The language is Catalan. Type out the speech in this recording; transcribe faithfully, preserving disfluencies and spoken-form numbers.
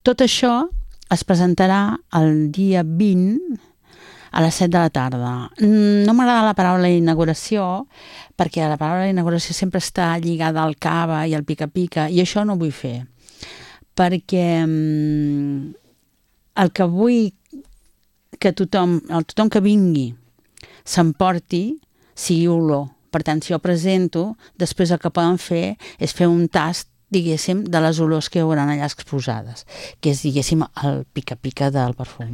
Tot això es presentarà el dia vint a les set de la tarda. No m'agrada la paraula inauguració, perquè la paraula inauguració sempre està lligada al cava i al pica-pica, i això no ho vull fer, perquè el que vull que tothom, el tothom que vingui s'emporti sigui olor. Per tant, si jo presento, després el que poden fer és fer un tast, diguéssim, de les olors que hi haurà allà exposades, que és, diguéssim, el pica-pica del perfum.